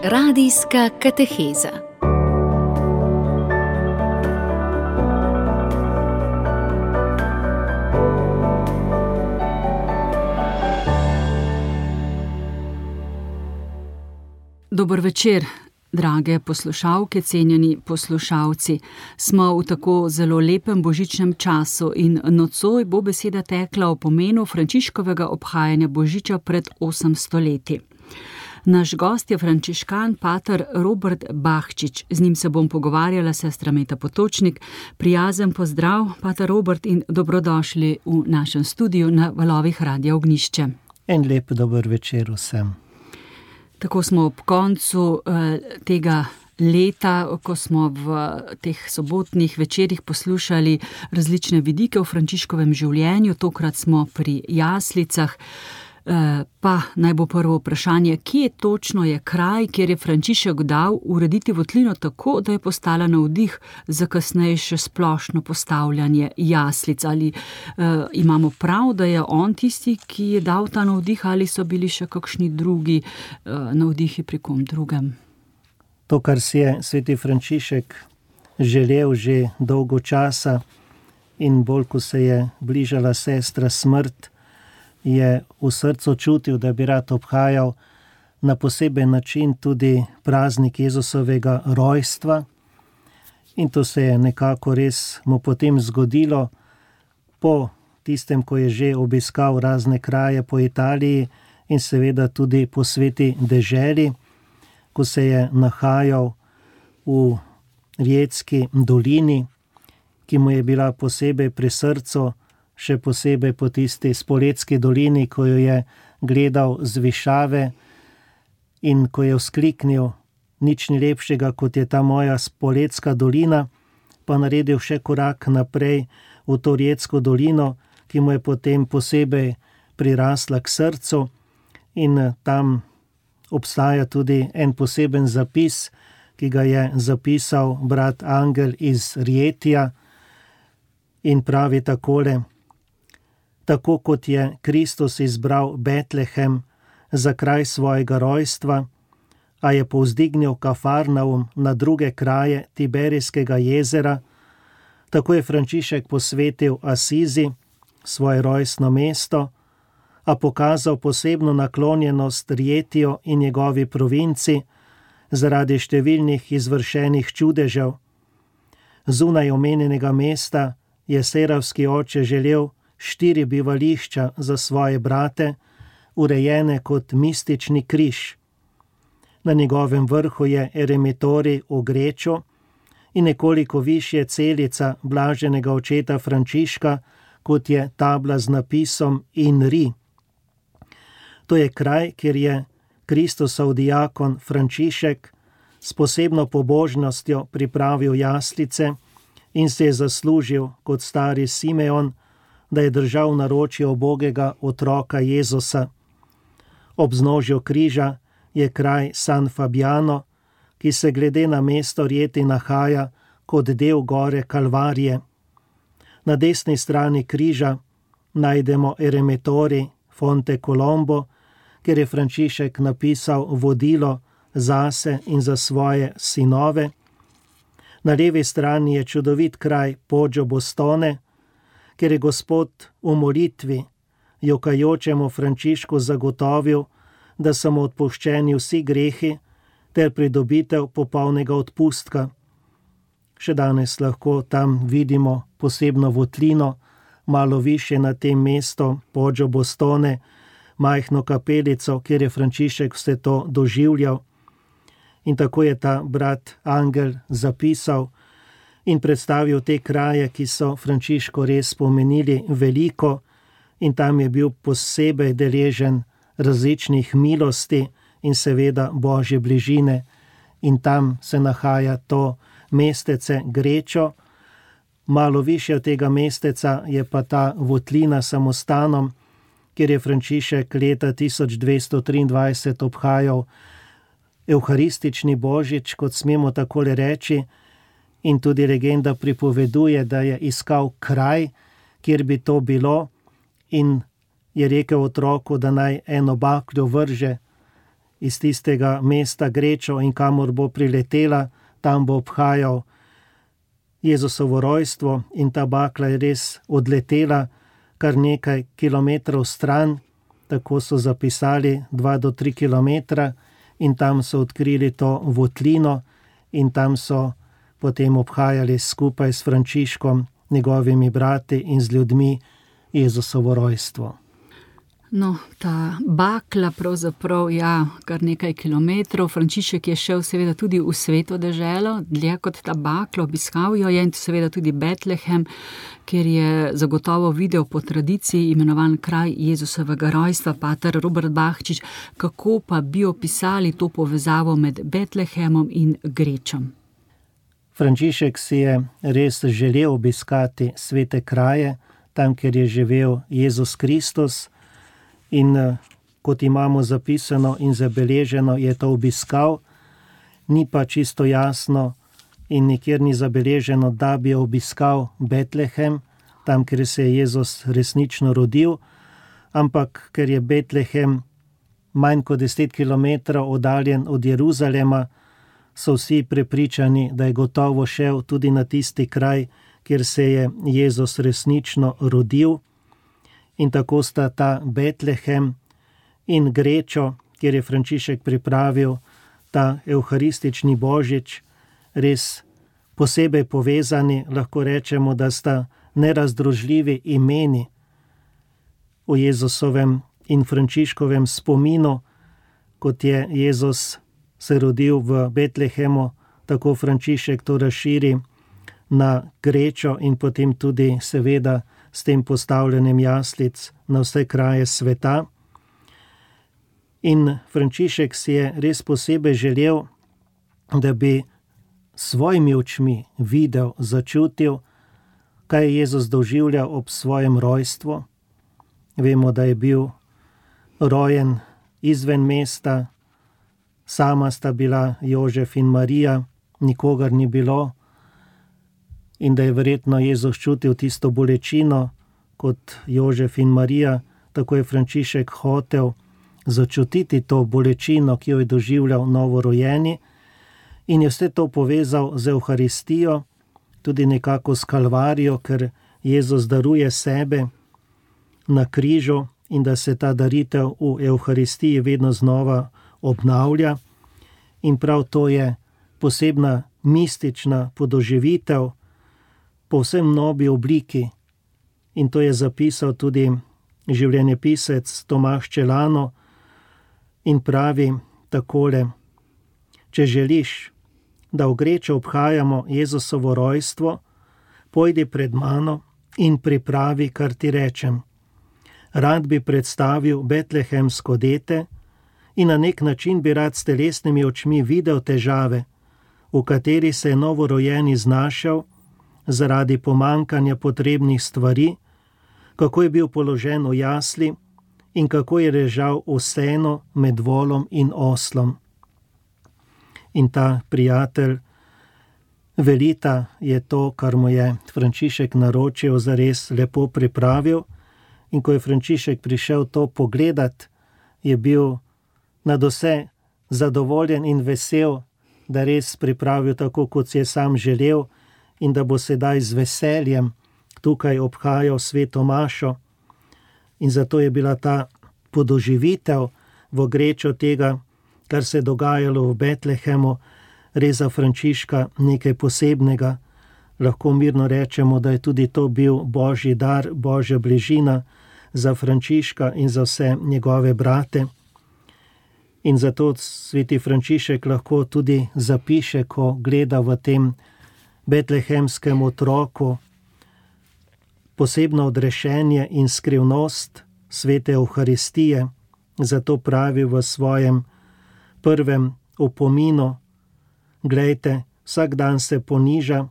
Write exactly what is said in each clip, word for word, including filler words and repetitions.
Radijska kateheza. Dober večer, drage poslušalke, cenjeni poslušalci. Smo v tako zelo lepem božičnem času in nocoj bo beseda tekla o pomenu Frančiškovega obhajanja božiča pred osemsto leti. Naš gost je frančiškan pater Robert Bahčič. Z njim se bom pogovarjala, sestra Meta Potočnik. Prijazen pozdrav, pater Robert, in dobrodošli v našem studiu na valovih Radia Ognjišče. En lep dober večer vsem. Tako smo ob koncu eh, tega leta, ko smo v teh sobotnih večerih poslušali različne vidike v Frančiškovem življenju. Tokrat smo pri jaslicah. Pa naj bo prvo vprašanje, kje točno je kraj, kjer je Frančišek dal urediti votlino tako, da je postala navdih za kasnejše splošno postavljanje jaslic? Ali uh, imamo prav, da je on tisti, ki je dal ta navdih, ali so bili še kakšni drugi uh, navdihi pri kom drugem? To, kar si je sveti Frančišek želel že dolgo časa in bolj, ko se je bližala sestra smrt, je v srcu čutil, da bi rad obhajal na poseben način tudi praznik Jezusovega rojstva. In to se je nekako res mu potem zgodilo po tistem, ko je že obiskal razne kraje po Italiji in seveda tudi po sveti deželi, ko se je nahajal v Rijetski dolini, ki mu je bila posebej pri srcu, še posebej po tisti Spoletski dolini, ko jo je gledal z višave in ko je vzkliknil, nič ni lepšega, kot je ta moja Spoletska dolina, pa naredil še korak naprej v to Rijetsko dolino, ki mu je potem posebej prirasla k srcu, in tam obstaja tudi en poseben zapis, ki ga je zapisal brat Angel iz Rijetija in pravi takole: Tako kot je Kristus izbral Betlehem za kraj svojega rojstva, a je povzdignil Kafarnaum na druge kraje Tiberijskega jezera, tako je Frančišek posvetil Asizi, svoje rojstno mesto, a pokazal posebno naklonjenost Rijetiju in njegovi provinci zaradi številnih izvršenih čudežev. Zunaj omenjenega mesta je seravski oče želel štiri bivališča za svoje brate, urejene kot mistični križ. Na njegovem vrhu je eremitorij v Greču in nekoliko višje celica blaženega očeta Frančiška, kot je tabla z napisom In ri. To je kraj, kjer je Kristusov diakon Frančišek s posebno pobožnostjo pripravil jaslice in se je zaslužil kot stari Simeon, da je držal naročje ubogega otroka Jezusa. Ob vznožju križa je kraj San Fabiano, ki se glede na mesto Rijeti nahaja kot del gore Kalvarije. Na desni strani križa najdemo eremitorij Fonte Colombo, kjer je Frančišek napisal vodilo zase in za svoje sinove. Na levi strani je čudovit kraj Poggio Bostone, ker je Gospod v molitvi jokajočemu Frančišku zagotovil, da so mu odpuščeni vsi grehi ter pridobitev popolnega odpustka. Še danes lahko tam vidimo posebno votlino, malo više na tem mestu Poggio Bostone, majhno kapelico, kjer je Frančišek vse to doživljal. In tako je ta brat Angel zapisal in predstavil te kraje, ki so Frančišku res pomenili veliko, in tam je bil posebej deležen različnih milosti in seveda Božje bližine. In tam se nahaja to mestece Grečo. Malo više od tega mesteca je pa ta votlina samostanom, kjer je Frančišek leta tisoč dvesto triindvajset obhajal evharistični božič, kot smemo takole reči, in tudi legenda pripoveduje, da je iskal kraj, kjer bi to bilo, in je rekel otroku, da naj eno bakljo vrže iz tistega mesta Grečo in kamor bo priletela, tam bo obhajal Jezusovo rojstvo in ta bakla je res odletela kar nekaj kilometrov stran, tako so zapisali, dva do tri kilometra, in tam so odkrili to votlino in tam so potem obhajali skupaj s Frančiškom, njegovimi brati in z ljudmi Jezusovo rojstvo. No, ta bakla pravzaprav, ja, kar nekaj kilometrov. Frančišek je šel seveda tudi v Sveto deželo, dlje kot ta bakla, obiskal jo je in seveda tudi Betlehem, kjer je zagotovo videl po tradiciji imenovan kraj Jezusovega rojstva. Pater Robert Bahčič, kako pa bi opisali to povezavo med Betlehemom in Grečom? Frančišek si je res želel obiskati svete kraje, tam, kjer je živel Jezus Kristus, in kot imamo zapisano in zabeleženo, je to obiskal, ni pa čisto jasno in nikjer ni zabeleženo, da bi obiskal Betlehem, tam, kjer se je Jezus resnično rodil, ampak ker je Betlehem manj kot deset kilometrov oddaljen od Jeruzalema, so vsi prepričani, da je gotovo šel tudi na tisti kraj, kjer se je Jezus resnično rodil. In tako sta ta Betlehem in Grečo, kjer je Frančišek pripravil ta evharistični božič, res posebej povezani, lahko rečemo, da sta nerazdružljivi imeni o Jezusovem in Frančiškovem spominu, kot je Jezus se rodil v Betlehemu, tako Frančišek to razširi na Grečo in potem tudi seveda s tem postavljanjem jaslic na vse kraje sveta. In Frančišek si je res posebej želel, da bi svojimi očmi videl, začutil, kaj je Jezus doživljal ob svojem rojstvu. Vemo, da je bil rojen izven mesta, sama sta bila Jožef in Marija, nikogar ni bilo, in da je verjetno Jezus čutil tisto bolečino kot Jožef in Marija, tako je Frančišek hotel začutiti to bolečino, ki jo je doživljal novorojeni, in je vse to povezal z Evharistijo, tudi nekako s Kalvarijo, ker Jezus daruje sebe na križu in da se ta daritev v Evharistiji vedno znova obnavlja. In prav to je posebna mistična podoživitev, povsem novi obliki, in to je zapisal tudi življenjepisec Tomaž Čelano in pravi takole: če želiš, da v Grečo obhajamo Jezusovo rojstvo, pojdi pred mano in pripravi, kar ti rečem. Rad bi predstavil betlehemsko dete in na nek način bi rad s telesnimi očmi videl težave, v kateri se je novorojeni znašel zaradi pomankanja potrebnih stvari, kako je bil položen v jasli in kako je ležal v senu med volom in oslom. In ta prijatelj Velita je to, kar mu je Frančišek naročil, zares lepo pripravil, in ko je Frančišek prišel to pogledat, je bil nadvse zadovoljen in vesel, da res pripravil tako, kot si je sam želel, in da bo sedaj z veseljem tukaj obhajal sveto mašo. In zato je bila ta podoživitev v Grečo tega, kar se je dogajalo v Betlehemu, res za Frančiška nekaj posebnega. Lahko mirno rečemo, da je tudi to bil božji dar, božja bližina za Frančiška in za vse njegove brate. In zato sveti Frančišek lahko tudi zapiše, ko gleda v tem betlehemskem otroku posebno odrešenje in skrivnost svete Evharistije. Zato pravi v svojem prvem opominu: glejte, vsak dan se poniža,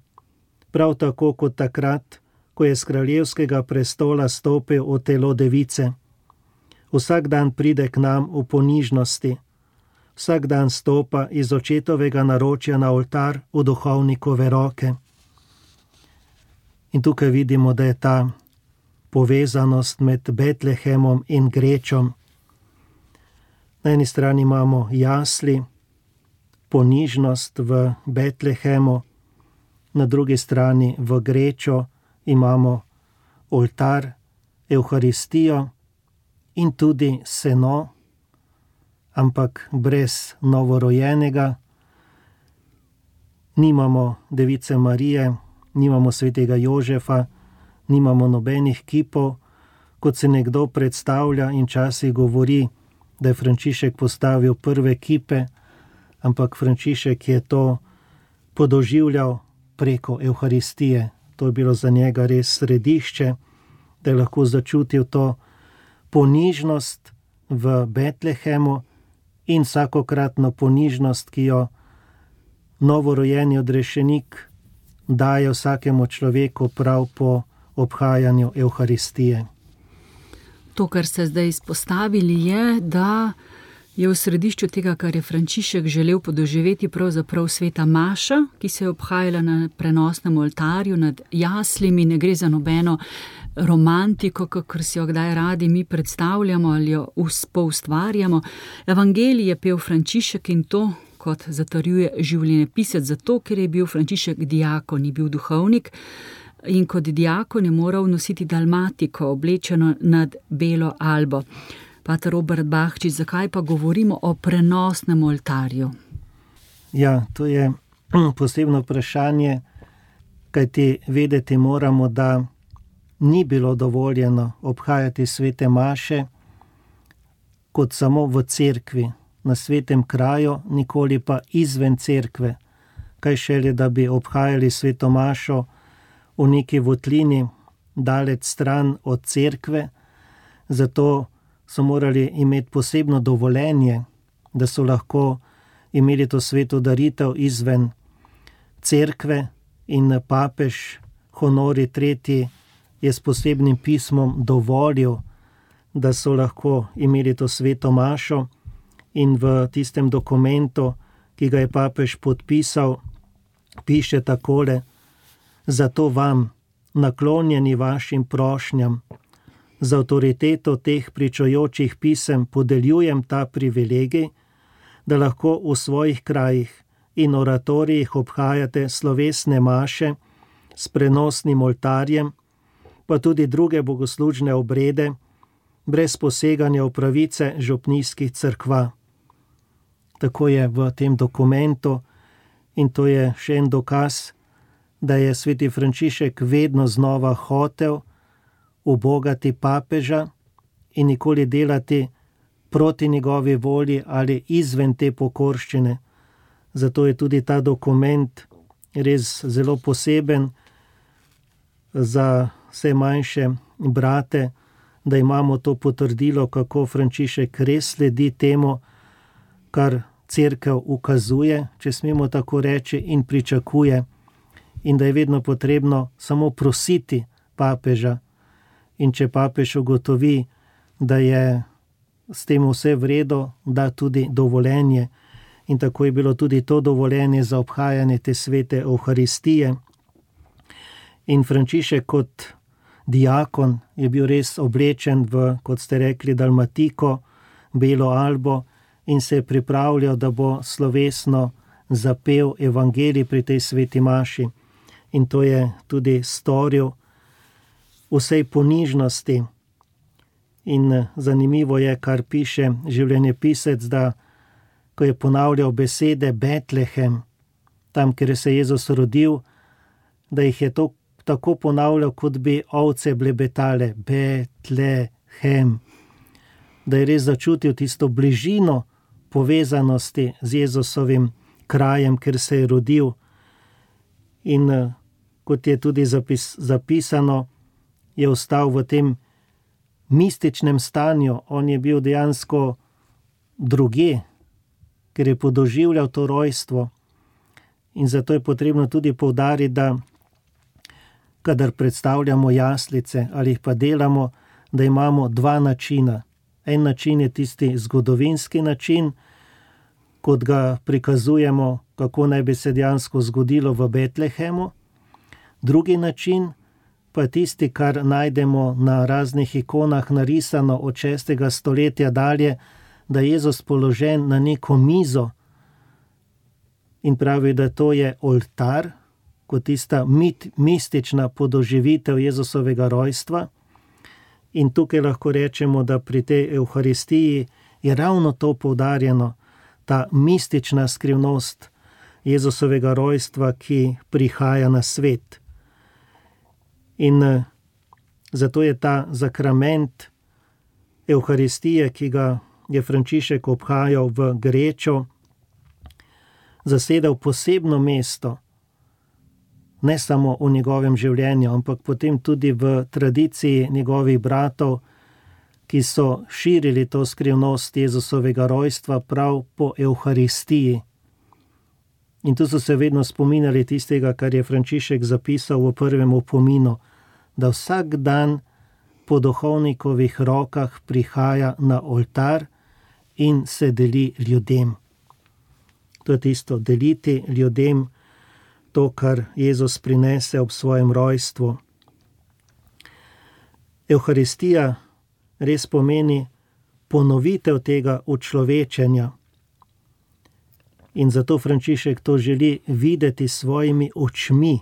prav tako kot takrat, ko je z kraljevskega prestola stopil v telo device. Vsak dan pride k nam v ponižnosti, vsak dan stopa iz očetovega naročja na oltar v duhovnikove roke. In tukaj vidimo, da je ta povezanost med Betlehemom in Grečom. Na eni strani imamo jasli, ponižnost v Betlehemu, na drugi strani v Grečo imamo oltar, Evharistijo in tudi seno, ampak brez novorojenega. Nimamo Device Marije, nimamo svetega Jožefa, nimamo nobenih kipov, kot se nekdo predstavlja in včasih govori, da je Frančišek postavil prve kipe, ampak Frančišek je to podoživljal preko Evharistije. To je bilo za njega res središče, da je lahko začutil to ponižnost v Betlehemu in vsakokratno ponižnost, ki jo novorojeni odrešenik daje vsakemu človeku prav po obhajanju Evharistije. To, kar ste zdaj izpostavili, je, da je v središču tega, kar je Frančišek želel podoživeti, pravzaprav sveta maša, ki se je obhajala na prenosnem oltarju nad jaslimi. Ne gre za nobeno romantiko, kakor si jo kdaj radi mi predstavljamo ali jo poustvarjamo. Evangelij je pel Frančišek in to, kot zatrjuje življenjepisec, zato, ker je bil Frančišek diakon, ni bil duhovnik, in kot diakon je moral nositi dalmatiko, oblečeno nad belo albo. Pater Robert Bahčič, zakaj pa govorimo o prenosnem oltarju? Ja, to je posebno vprašanje, kajti vedeti moramo, da ni bilo dovoljeno obhajati svete maše kot samo v cerkvi, na svetem kraju, nikoli pa izven cerkve. Kaj šele, da bi obhajali sveto mašo v neki votlini, daleč stran od cerkve, zato so morali imeti posebno dovoljenje, da so lahko imeli to sveto daritev izven cerkve, in papež Honori tretji je s posebnim pismom dovolil, da so lahko imeli to sveto mašo, in v tistem dokumentu, ki ga je papež podpisal, piše takole: zato vam, naklonjeni vašim prošnjam, z avtoriteto teh pričujočih pisem podeljujem ta privilegij, da lahko v svojih krajih in oratorijih obhajate slovesne maše s prenosnim oltarjem, pa tudi druge bogoslužne obrede, brez poseganja v pravice župnijskih cerkva. Tako je v tem dokumentu, in to je še en dokaz, da je sveti Frančišek vedno znova hotel ubogati papeža in nikoli delati proti njegovi volji ali izven te pokorščine. Zato je tudi ta dokument res zelo poseben za vse manjše brate, da imamo to potrdilo, kako Frančišek res sledi temu, kar cerkev ukazuje, če smemo tako reči, in pričakuje, in da je vedno potrebno samo prositi papeža. In če papež ugotovi, da je s tem vse v redu, da tudi dovoljenje. In tako je bilo tudi to dovoljenje za obhajanje te svete Evharistije. In Frančišek kot diakon je bil res oblečen v, kot ste rekli, dalmatiko, belo albo, in se je pripravljal, da bo slovesno zapel evangelij pri tej sveti maši. In to je tudi storil vsej ponižnosti. In zanimivo je, kar piše življenjepisec, da ko je ponavljal besede Betlehem, tam, kjer se je Jezus rodil, da jih je to tako ponavljal, kot bi ovce blebetale, Betlehem. Da je res začutil tisto bližino povezanosti z Jezusovim krajem, kjer se je rodil. In kot je tudi zapis, zapisano, je ostal v tem mističnem stanju. On je bil dejansko drugje, ker je podoživljal to rojstvo. In zato je potrebno tudi poudariti, da kadar predstavljamo jaslice ali jih pa delamo, da imamo dva načina. En način je tisti zgodovinski način, kot ga prikazujemo, kako naj bi se dejansko zgodilo v Betlehemu. Drugi način pa je tisti, kar najdemo na raznih ikonah narisano od šestega stoletja dalje, da je Jezus položen na neko mizo in pravi, da to je oltar, kot tista mit, mistična podoživitev Jezusovega rojstva. In tukaj lahko rečemo, da pri tej Evharistiji je ravno to poudarjeno, ta mistična skrivnost Jezusovega rojstva, ki prihaja na svet. In zato je ta zakrament Evharistije, ki ga je Frančišek obhajal v Grečo, zasedal posebno mesto, ne samo v njegovem življenju, ampak potem tudi v tradiciji njegovih bratov, ki so širili to skrivnost Jezusovega rojstva prav po Evharistiji. In tu so se vedno spominjali tistega, kar je Frančišek zapisal v prvem opominu, da vsak dan po duhovnikovih rokah prihaja na oltar in se deli ljudem. To je tisto, deliti ljudem to, kar Jezus prinese ob svojem rojstvu. Evharistija res pomeni ponovitev tega učlovečenja. In zato Frančišek to želi videti s svojimi očmi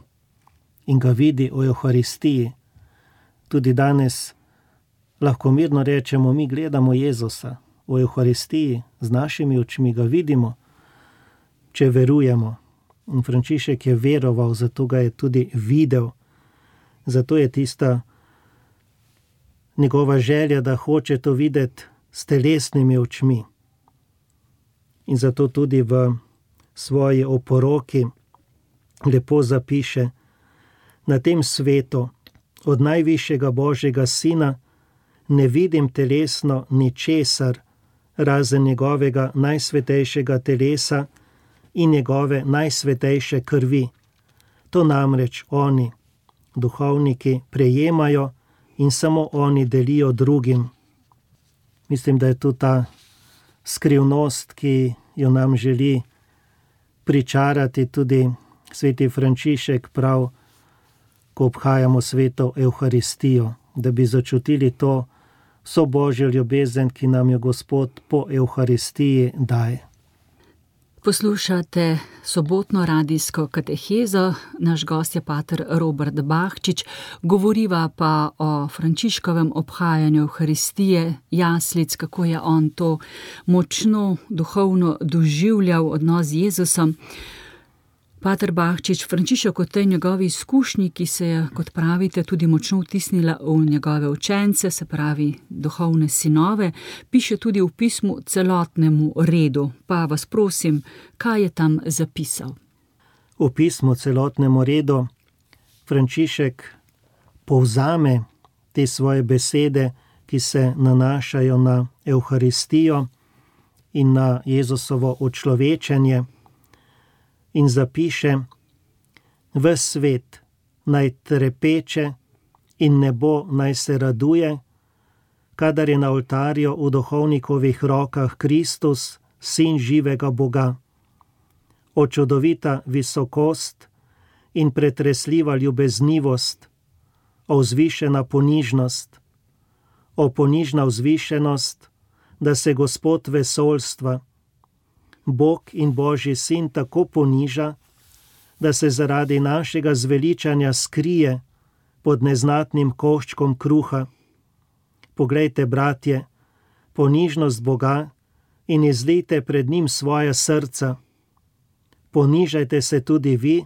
in ga vidi v Evharistiji. Tudi danes lahko mirno rečemo, mi gledamo Jezusa v Evharistiji, z našimi očmi ga vidimo, če verujemo. In Frančišek je veroval, zato ga je tudi videl. Zato je tista njegova želja, da hoče to videti s telesnimi očmi. In zato tudi v svoji oporoki lepo zapiše: na tem svetu od najvišjega Božjega Sina ne vidim telesno ničesar, razen njegovega najsvetejšega telesa in njegove najsvetejše krvi. To namreč oni, duhovniki, prejemajo in samo oni delijo drugim. Mislim, da je tu ta skrivnost, ki jo nam želi pričarati tudi sveti Frančišek prav, ko obhajamo sveto Evharistijo, da bi začutili to vso Božjo ljubezen, ki nam jo Gospod po Evharistiji daje. Poslušate sobotno radijsko katehezo, naš gost je pater Robert Bahčič, govoriva pa o Frančiškovem obhajanju Evharistije, jaslic, kako je on to močno duhovno doživljal odnos z Jezusom. Pater Bahčič, Frančišek o tej njegovi izkušnji, ki se je, kot pravite, tudi močno vtisnila v njegove učence, se pravi duhovne sinove, piše tudi v pismu celotnemu redu. Pa vas prosim, kaj je tam zapisal? V pismu celotnemu redu Frančišek povzame te svoje besede, ki se nanašajo na Evharistijo in na Jezusovo učlovečenje, in zapiše: ves svet naj trepeče in nebo naj se raduje, kadar je na oltarju v duhovnikovih rokah Kristus, sin živega Boga. O čudovita visokost in pretresljiva ljubeznivost, o vzvišena ponižnost, o ponižna vzvišenost, da se Gospod vesolstva, Bog in Božji sin tako poniža, da se zaradi našega zveličanja skrije pod neznatnim koščkom kruha. Poglejte, bratje, ponižnost Boga in izlijte pred njim svoja srca. Ponižajte se tudi vi,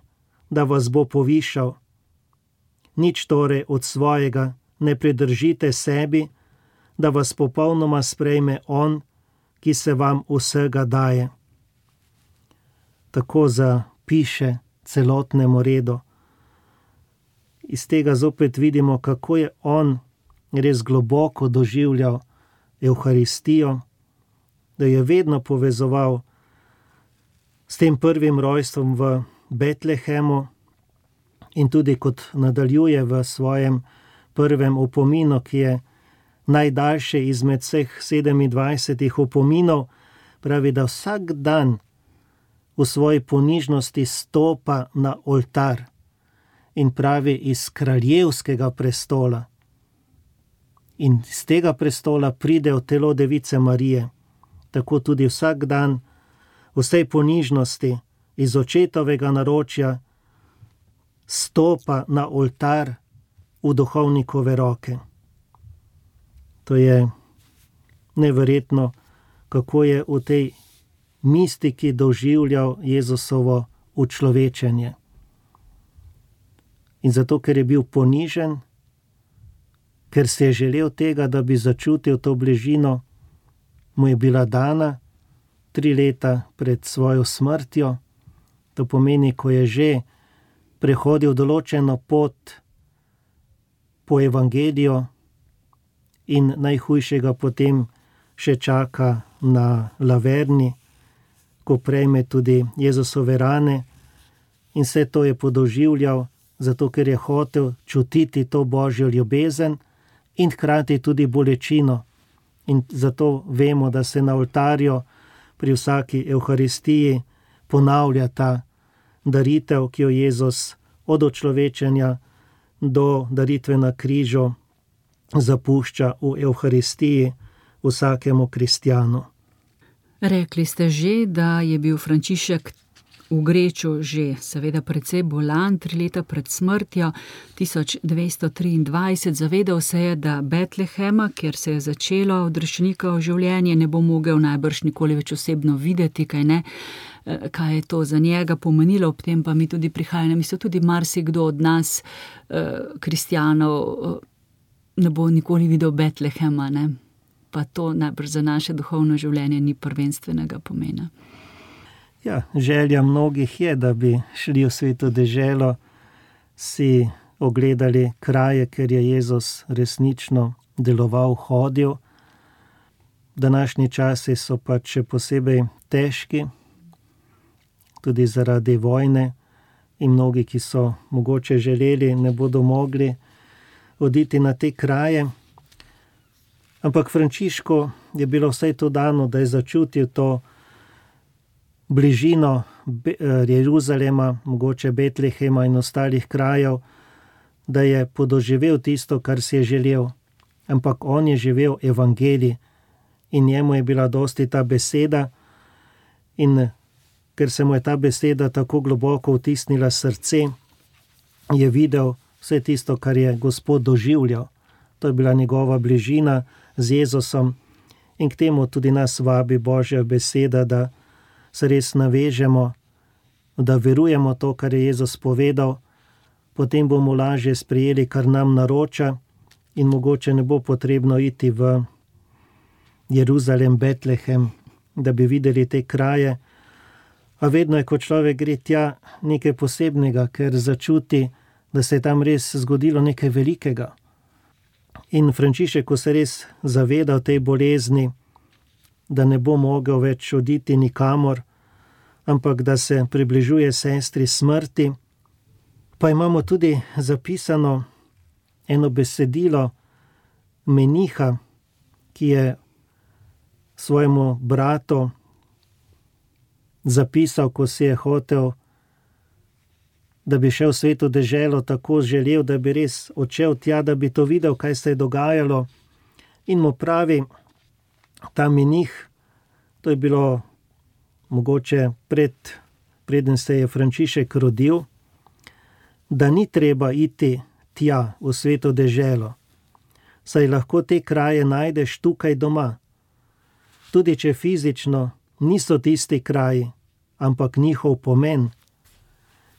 da vas bo povišal. Nič torej od svojega ne pridržite sebi, da vas popolnoma sprejme on, ki se vam vsega daje. Tako zapiše celotnemu redu. Iz tega zopet vidimo, kako je on res globoko doživljal Evharistijo, da je vedno povezoval s tem prvim rojstvom v Betlehemu in tudi kot nadaljuje v svojem prvem opominu, ki je najdaljše izmed vseh sedemindvajsetih opominov, pravi, da vsak dan v svoji ponižnosti stopa na oltar in pravi iz kraljevskega prestola. In z tega prestola pride v telo Device Marije. tako tudi vsak dan v vsej ponižnosti iz očetovega naročja stopa na oltar v duhovnikove roke. To je neverjetno, kako je v tej mistiki doživljal Jezusovo učlovečenje. In zato, ker je bil ponižen, ker si je želel tega, da bi začutil to bližino, mu je bila dana tri leta pred svojo smrtjo. To pomeni, ko je že prehodil določeno pot po evangeliju in najhujšega potem še čaka na Laverni, ko prejme tudi Jezusove rane, in vse to je podoživljal, zato ker je hotel čutiti to božjo ljubezen in hkrati tudi bolečino. In zato vemo, da se na oltarju pri vsaki evharistiji ponavlja ta daritev, ki jo Jezus od očlovečenja do daritve na križu zapušča v evharistiji vsakemu kristjanu. Rekli ste že, da je bil Frančišek v Greču že seveda precej bolan, tri leta pred smrtjo, tisoč dvesto triindvajset. Zavedal se je, da Betlehema, kjer se je začelo odrešenikovo življenje, ne bo mogel najbrž nikoli več osebno videti, kaj ne, kaj je to za njega pomenilo, ob tem pa mi tudi prihaja na misel, tudi marsikdo od nas, kristjanov, ne bo nikoli videl Betlehema, ne? Pa to najbrž za naše duhovno življenje ni prvenstvenega pomena. Ja, želja mnogih je, da bi šli v sveto deželo, si ogledali kraje, ker je Jezus resnično deloval, hodil. Današnji časi so pač še posebej težki, tudi zaradi vojne, in mnogi, ki so mogoče želeli, ne bodo mogli oditi na te kraje. Ampak Frančišku je bilo vsaj to dano, da je začutil to bližino Jeruzalema, mogoče Betlehema in ostalih krajev, da je podoživel tisto, kar si je želel. Ampak on je živel evangelij in njemu je bila dosti ta beseda, in ker se mu je ta beseda tako globoko vtisnila srce, je videl vse tisto, kar je Gospod doživljal. To je bila njegova bližina z Jezusom, in k temu tudi nas vabi Božja beseda, da se res navežemo, da verujemo to, kar je Jezus povedal, potem bomo lažje sprejeli, kar nam naroča, in mogoče ne bo potrebno iti v Jeruzalem, Betlehem, da bi videli te kraje. A vedno je, ko človek gre tja, nekaj posebnega, ker začuti, da se je tam res zgodilo nekaj velikega. In Frančišek, ko se res zaveda tej bolezni, da ne bo mogel več oditi nikamor, ampak da se približuje sestri smrti, pa imamo tudi zapisano eno besedilo meniha, ki je svojemu bratu zapisal, ko si je hotel, da bi šel v sveto deželo, tako želel, da bi res odšel tja, da bi to videl, kaj se je dogajalo. In mu pravi ta menih, to je bilo mogoče pred, preden se je Frančišek rodil, da ni treba iti tja v sveto deželo, saj lahko te kraje najdeš tukaj doma. Tudi če fizično niso tisti kraji, ampak njihov pomen.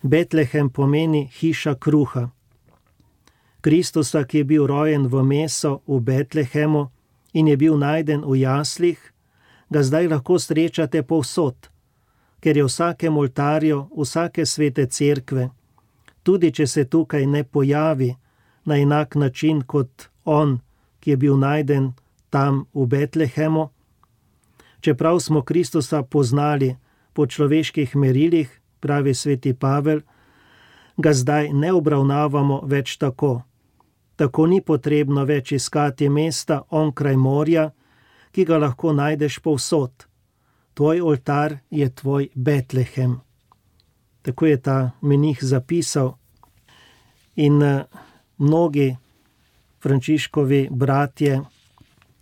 Betlehem pomeni hiša kruha. Kristusa, ki je bil rojen v meso v Betlehemu in je bil najden v jaslih, ga zdaj lahko srečate povsod, ker je v vsakem oltarju vsake svete cerkve, tudi če se tukaj ne pojavi na enak način kot on, ki je bil najden tam v Betlehemu. Čeprav smo Kristusa poznali po človeških merilih, pravi sveti Pavel, ga zdaj ne obravnavamo več tako. Tako ni potrebno več iskati mesta onkraj morja, ki ga lahko najdeš povsod. Tvoj oltar je tvoj Betlehem. Tako je ta menih zapisal. In mnogi Frančiškovi bratje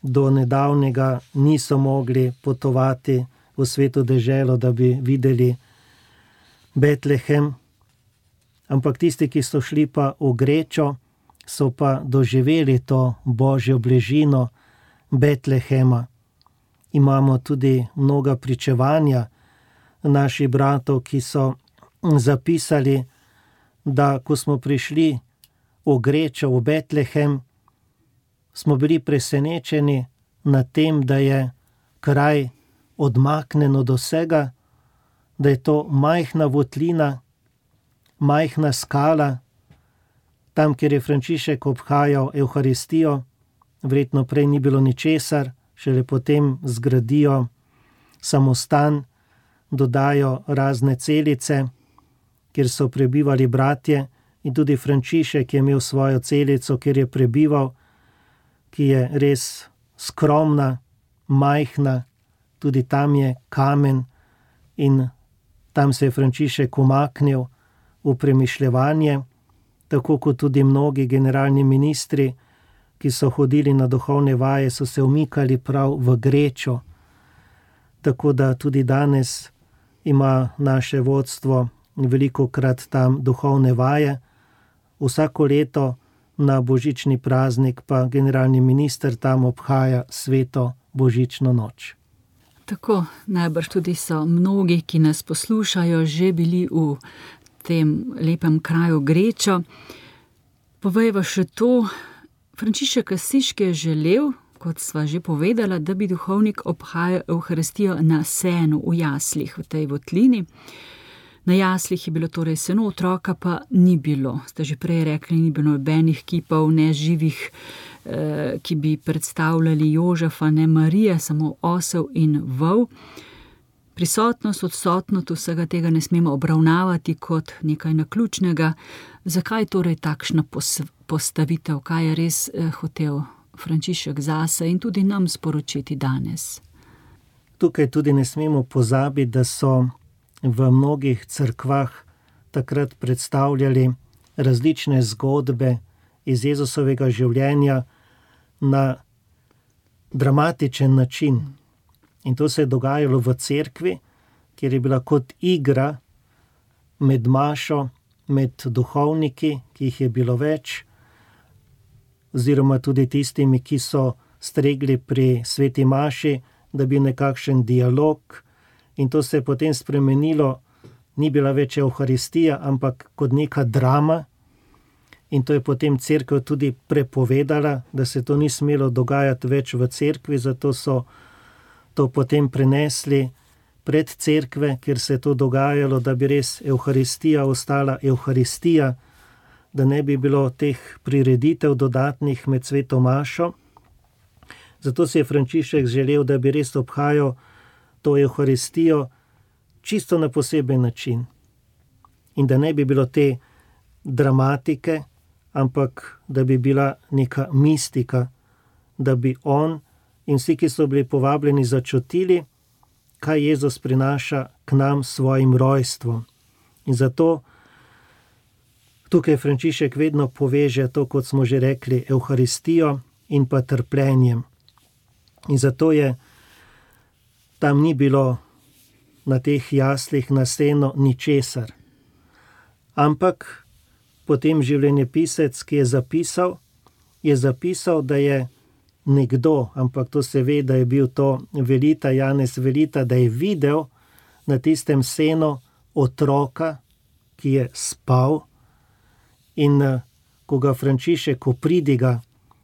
do nedavnega niso mogli potovati v sveto deželo, da bi videli Betlehem, ampak tisti, ki so šli pa v Grečo, so pa doživeli to božjo bližino Betlehema. Imamo tudi mnoga pričevanja naših bratov, ki so zapisali, da ko smo prišli v Grečo, v Betlehem, smo bili presenečeni nad tem, da je kraj odmaknen od vsega, da je to majhna votlina, majhna skala, tam, kjer je Frančišek obhajal Evharistijo, verjetno prej ni bilo ničesar, šele potem zgradijo samostan, dodajo razne celice, kjer so prebivali bratje, in tudi Frančišek je imel svojo celico, kjer je prebival, ki je res skromna, majhna, tudi tam je kamen in tam se je Frančišek umaknil v premišljevanje, tako kot tudi mnogi generalni ministri, ki so hodili na duhovne vaje, so se umikali prav v Grečo. Tako da tudi danes ima naše vodstvo velikokrat tam duhovne vaje. Vsako leto na božični praznik pa generalni minister tam obhaja sveto božično noč. Tako, najbrž tudi so mnogi, ki nas poslušajo, že bili v tem lepem kraju Grečo. Povejva še to, Frančišek Asiški je želel, kot sva že povedala, da bi duhovnik obhajal Evharistijo na senu, v jaslih, v tej votlini. Na jaslih je bilo torej seno, otroka pa ni bilo. Ste že prej rekli, ni bilo nobenih kipov, ne živih, eh, ki bi predstavljali Jožefa, ne Marije, samo osel in vol. Prisotnost, odsotnost vsega tega ne smemo obravnavati kot nekaj naključnega. Zakaj torej takšna postavitev, kaj je res eh, hotel Frančišek zase in tudi nam sporočiti danes? Tukaj tudi ne smemo pozabiti, da so v mnogih cerkvah takrat predstavljali različne zgodbe iz Jezusovega življenja na dramatičen način. In to se je dogajalo v cerkvi, kjer je bila kot igra med mašo, med duhovniki, ki jih je bilo več, oziroma tudi tistimi, ki so stregli pri sveti maši, da bi nekakšen dialog. In to se je potem spremenilo, ni bila več Evharistija, ampak kot neka drama. In to je potem cerkev tudi prepovedala, da se to ni smelo dogajati več v cerkvi, zato so to potem prenesli pred cerkve, kjer se je to dogajalo, da bi res Evharistija ostala Evharistija, da ne bi bilo teh prireditev dodatnih med sveto mašo. Zato si je Frančišek želel, da bi res obhajal to Evharistijo čisto na poseben način. In da ne bi bilo te dramatike, ampak da bi bila neka mistika, da bi on in vsi, ki so bili povabljeni, začutili, kaj Jezus prinaša k nam s svojim rojstvom. In zato tukaj Frančišek vedno poveže to, kot smo že rekli, Evharistijo in pa trpljenjem. In zato je tam ni bilo na teh jaslih na senu ničesar. Ampak potem življenjepisec, ki je zapisal, je zapisal, da je nekdo, ampak to se ve, da je bil to Velita, Janez Velita, da je videl na tistem senu otroka, ki je spal, in ko ga Frančišek opridiga,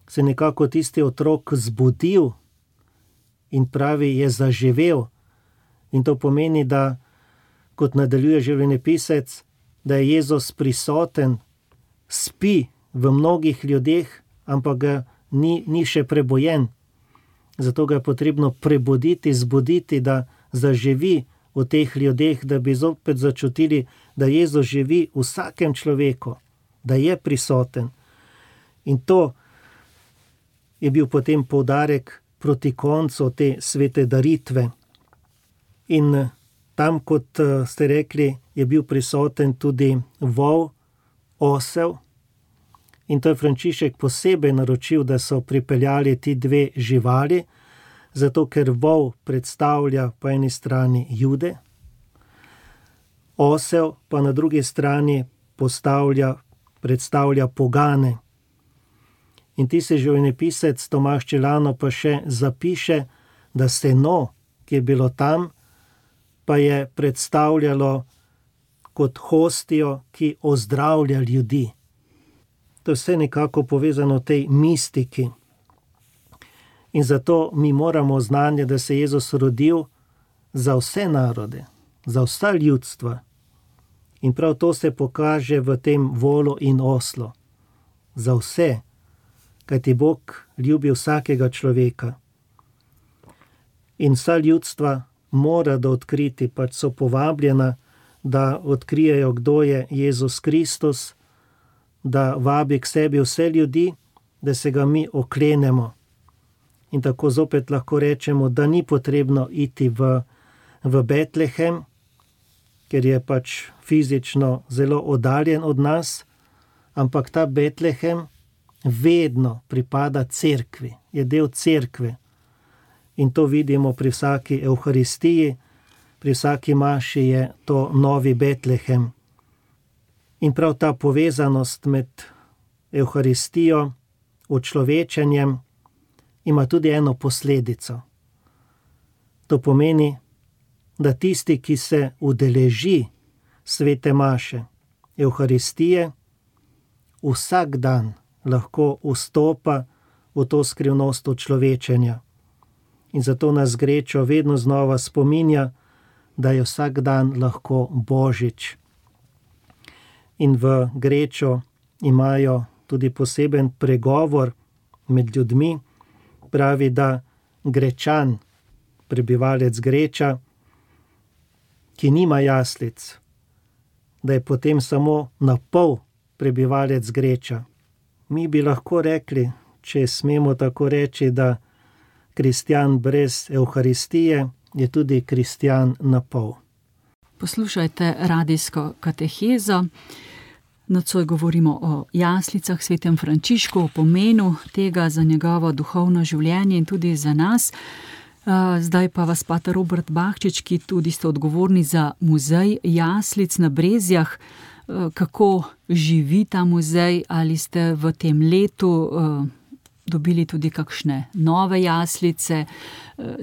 se nekako tisti otrok zbudil in pravi, je zaživel. In to pomeni, da, kot nadaljuje življenjepisec, da je Jezus prisoten, spi v mnogih ljudeh, ampak ga ni, ni še prebojen. Zato ga je potrebno prebuditi, zbuditi, da zaživi v teh ljudeh, da bi zopet začutili, da Jezus živi v vsakem človeku, da je prisoten. In to je bil potem poudarek proti koncu te svete daritve. In tam, kot ste rekli, je bil prisoten tudi vol, osel. In to je Frančišek posebej naročil, da so pripeljali ti dve živali, zato ker vol predstavlja po eni strani Jude, osel pa na drugi strani postavlja, predstavlja pogane. In ti se življenjepisec Tomaž Čelano pa še zapiše, da seno, ki je bilo tam, pa je predstavljalo kot hostijo, ki ozdravlja ljudi. To je vse nekako povezano v tej mistiki. In zato mi moramo znanje, da se je Jezus rodil za vse narode, za vsa ljudstva. In prav to se pokaže v tem volu in oslu. Za vse, kajti Bog ljubi vsakega človeka. In vsa ljudstva mora da odkriti, pač so povabljena, da odkrijejo, kdo je Jezus Kristus, da vabi k sebi vse ljudi, da se ga mi oklenemo. In tako zopet lahko rečemo, da ni potrebno iti v, v Betlehem, ker je pač fizično zelo oddaljen od nas, ampak ta Betlehem vedno pripada cerkvi, je del cerkve. In to vidimo pri vsaki evharistiji, pri vsaki maši je to novi Betlehem. In prav ta povezanost med evharistijo, učlovečenjem, ima tudi eno posledico. To pomeni, da tisti, ki se udeleži svete maše, evharistije, vsak dan lahko vstopa v to skrivnost učlovečenja. In zato nas Grečo vedno znova spominja, da je vsak dan lahko Božič. In v Grečo imajo tudi poseben pregovor med ljudmi, pravi, da Grečan, prebivalec Greča, ki nima jaslic, da je potem samo na pol prebivalec Greča. Mi bi lahko rekli, če smemo tako reči, da kristjan brez evharistije je tudi kristjan na pol. Poslušajte radijsko katehezo. Nocoj govorimo o jaslicah, svetem Frančišku, o pomenu tega za njegovo duhovno življenje in tudi za nas. Zdaj pa vas pater Robert Bahčič, ki tudi ste odgovorni za muzej jaslic na Brezjah. Kako živi ta muzej? Ali ste v tem letu dobili tudi kakšne nove jaslice?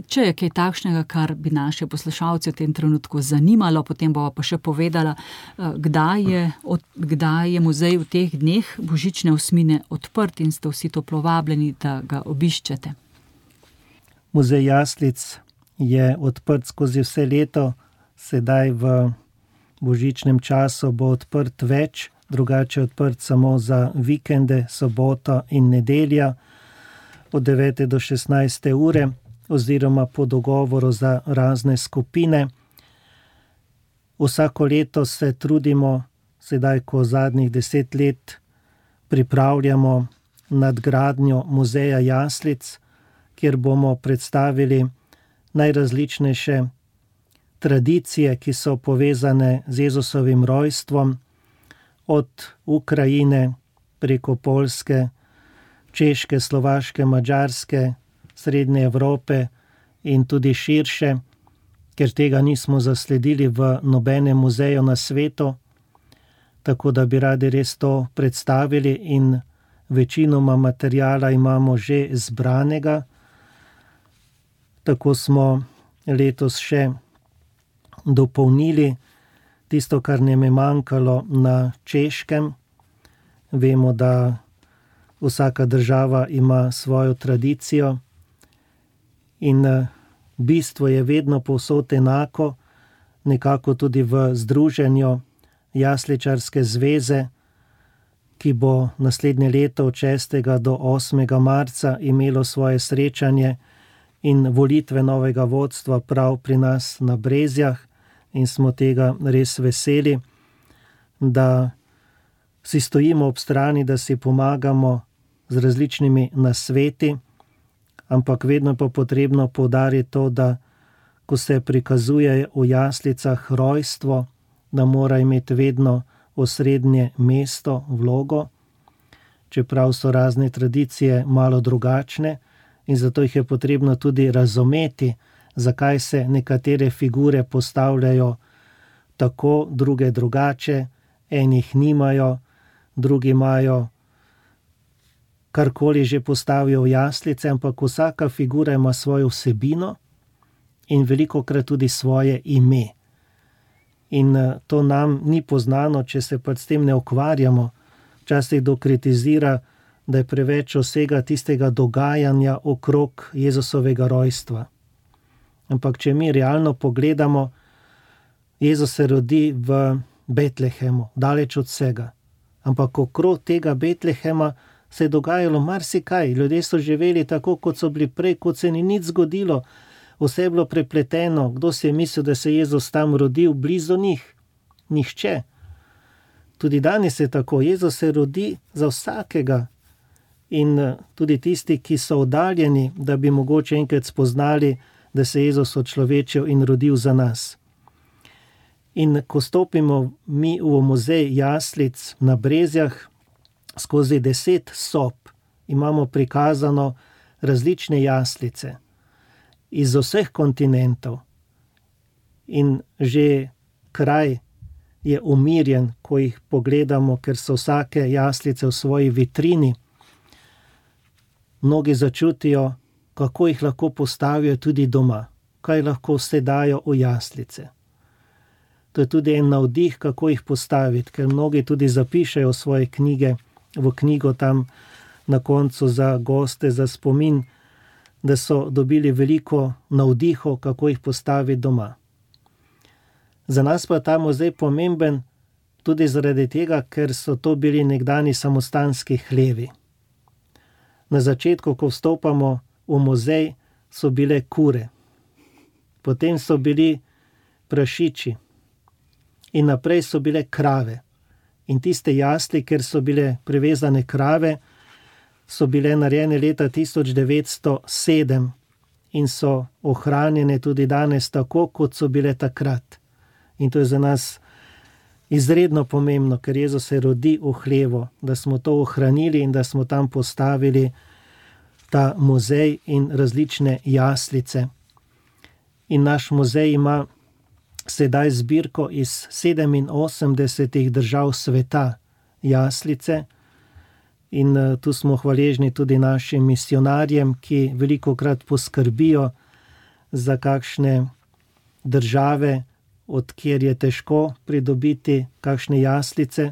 Če je kaj takšnega, kar bi naše poslušalce v tem trenutku zanimalo, potem bova pa še povedala, kdaj je, od, kdaj je muzej v teh dneh božične osmine odprt in ste vsi toplo vabljeni, da ga obiščete. Muzej jaslic je odprt skozi vse leto, sedaj v božičnem času bo odprt več, drugače je odprt samo za vikende, soboto in nedelja od devete do šestnajste ure, oziroma po dogovoru za razne skupine. Vsako leto se trudimo, sedaj ko zadnjih deset let pripravljamo nadgradnjo muzeja jaslic, kjer bomo predstavili najrazličnejše tradicije, ki so povezane z Jezusovim rojstvom, od Ukrajine preko Poljske, Češke, Slovaške, Madžarske, Srednje Evrope in tudi širše, ker tega nismo zasledili v nobenem muzeju na svetu, tako da bi radi res to predstavili in večinoma materijala imamo že zbranega. Tako smo letos še dopolnili tisto, kar nam je manjkalo na Češkem. Vemo, da vsaka država ima svojo tradicijo in bistvo je vedno povsod enako, nekako tudi v združenju Jasličarske zveze, ki bo naslednje leto od šestega do osmega marca imelo svoje srečanje in volitve novega vodstva prav pri nas na Brezjah, in smo tega res veseli, da si stojimo ob strani, da si pomagamo z različnimi nasveti, ampak vedno pa potrebno poudariti to, da ko se prikazuje v jaslicah rojstvo, da mora imeti vedno osrednje mesto, vlogo. čeprav so razne tradicije malo drugačne in zato jih je potrebno tudi razumeti, zakaj se nekatere figure postavljajo tako, druge drugače, enih nimajo, drugi imajo karkoli že postavijo v jaslice, ampak vsaka figura ima svojo vsebino in velikokrat tudi svoje ime. In to nam ni poznano, če se pa s tem ne ukvarjamo. Včasih kdo kritizira, da je preveč vsega tistega dogajanja okrog Jezusovega rojstva. Ampak če mi realno pogledamo, Jezus se rodi v Betlehemu, daleč od vsega. Ampak okrog tega Betlehema se je dogajalo marsikaj. Ljudje so živeli tako, kot so bili prej, kot se ni nič zgodilo. Vse je bilo prepleteno. Kdo si je mislil, da se je Jezus tam rodil blizu njih? Nihče. Tudi danes je tako. Jezus se rodi za vsakega. In tudi tisti, ki so oddaljeni, da bi mogoče enkrat spoznali, da se je Jezus odčlovečil in rodil za nas. In ko stopimo mi v muzej jaslic na Brezjah, skozi deset sob imamo prikazano različne jaslice iz vseh kontinentov. In že kraj je umirjen, ko jih pogledamo, ker so vsake jaslice v svoji vitrini. Mnogi začutijo, kako jih lahko postavijo tudi doma, kaj lahko vse dajo v jaslice. To je tudi en navdih, kako jih postaviti, ker mnogi tudi zapišejo svoje knjige v knjigo tam na koncu za goste, za spomin, da so dobili veliko navdihov, kako jih postaviti doma. Za nas pa je ta muzej pomemben tudi zaradi tega, ker so to bili nekdani samostanski hlevi. Na začetku, ko vstopamo v muzej, so bile kure, potem so bili prašiči in naprej so bile krave. In tiste jasli, ker so bile privezane krave, so bile narejene leta tisoč devetsto sedem in so ohranjene tudi danes tako, kot so bile takrat. In to je za nas izredno pomembno, ker Jezus se rodi v hlevu, da smo to ohranili in da smo tam postavili ta muzej in različne jaslice. In naš muzej ima sedaj zbirko iz sedeminosemdesetih držav sveta jaslice in tu smo hvaležni tudi našim misionarjem, ki velikokrat poskrbijo za kakšne države, od kjer je težko pridobiti kakšne jaslice,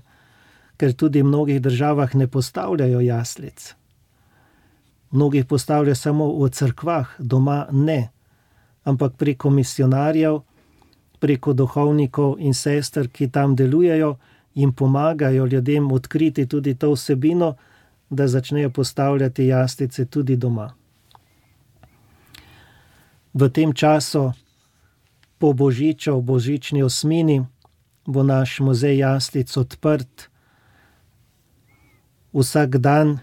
ker tudi v mnogih državah ne postavljajo jaslic. Mnogih postavljajo samo v cerkvah, doma ne, ampak preko misionarjev, preko duhovnikov in sester, ki tam delujejo, jim pomagajo ljudem odkriti tudi to vsebino, da začnejo postavljati jaslice tudi doma. V tem času, po božiču, v božični osmini, bo naš muzej jaslic odprt. Vsak dan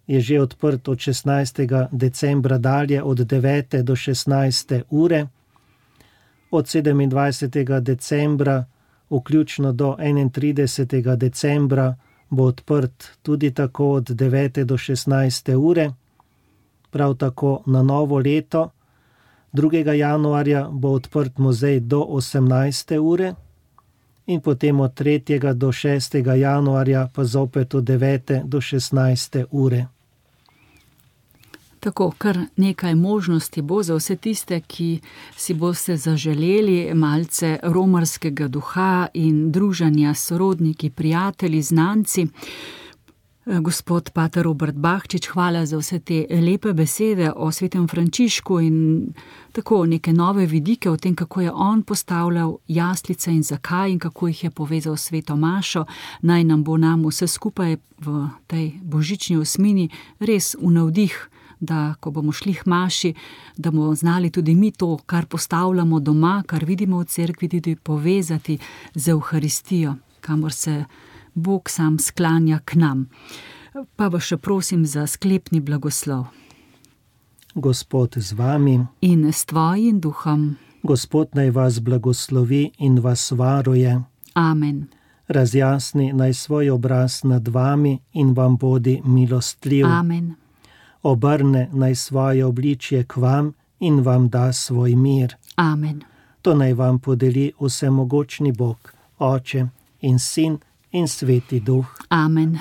je že odprt od šestnajstega decembra dalje, od devete do šestnajste ure. Od sedemindvajsetega decembra vključno do enaintridesetega decembra bo odprt tudi tako od devete do šestnajste ure. Prav tako na novo leto, drugega januarja, bo odprt muzej do osemnajste ure in potem od tretjega do šestega januarja pa zopet od devete do šestnajste ure. Tako, kar nekaj možnosti bo za vse tiste, ki si boste zaželeli malce romarskega duha in druženja s sorodniki, prijatelji, znanci. Gospod pater Robert Bahčič, hvala za vse te lepe besede o svetem Frančišku in tako neke nove vidike o tem, kako je on postavljal jaslice in zakaj in kako jih je povezal s sveto mašo. Naj nam bo nam vse skupaj v tej božični osmini res v navdih, da ko bomo šli k maši, da bomo znali tudi mi to, kar postavljamo doma, kar vidimo v cerkvi, tudi povezati z Evharistijo, kamor se Bog sam sklanja k nam. Pa vas še prosim za sklepni blagoslov. Gospod z vami in s tvojim duhom. Gospod naj vas blagoslovi in vas varuje. Amen. razjasni naj svoj obraz nad vami in vam bodi milostljiv. Amen. Obrne naj svoje obličje k vam in vam da svoj mir. Amen. To naj vam podeli vsemogočni Bog, Oče in Sin in Sveti Duh. Amen.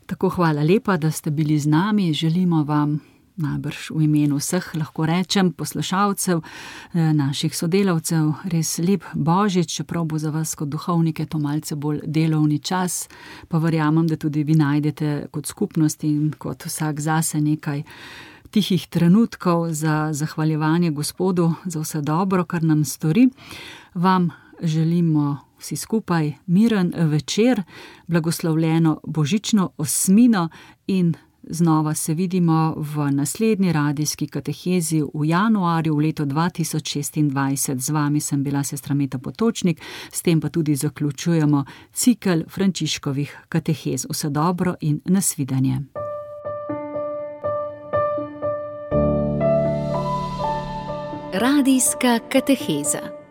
Tako hvala lepa, da ste bili z nami. Želimo vam najbrž v imenu vseh, lahko rečem, poslušalcev, naših sodelavcev, res lep Božič, čeprav bo za vas kot duhovnike to malce bolj delovni čas, pa verjamem, da tudi vi najdete kot skupnost in kot vsak zase nekaj tihih trenutkov za zahvaljevanje Gospodu za vse dobro, kar nam stori. Vam želimo vsi skupaj miren večer, blagoslovljeno božično osmino in znova se vidimo v naslednji radijski katehezi v januarju v letu dva tisoč šestindvajset. Z vami sem bila sestra Meta Potočnik, s tem pa tudi zaključujemo cikel Frančiškovih katehez. Vse dobro in nasvidenje. Radijska kateheza.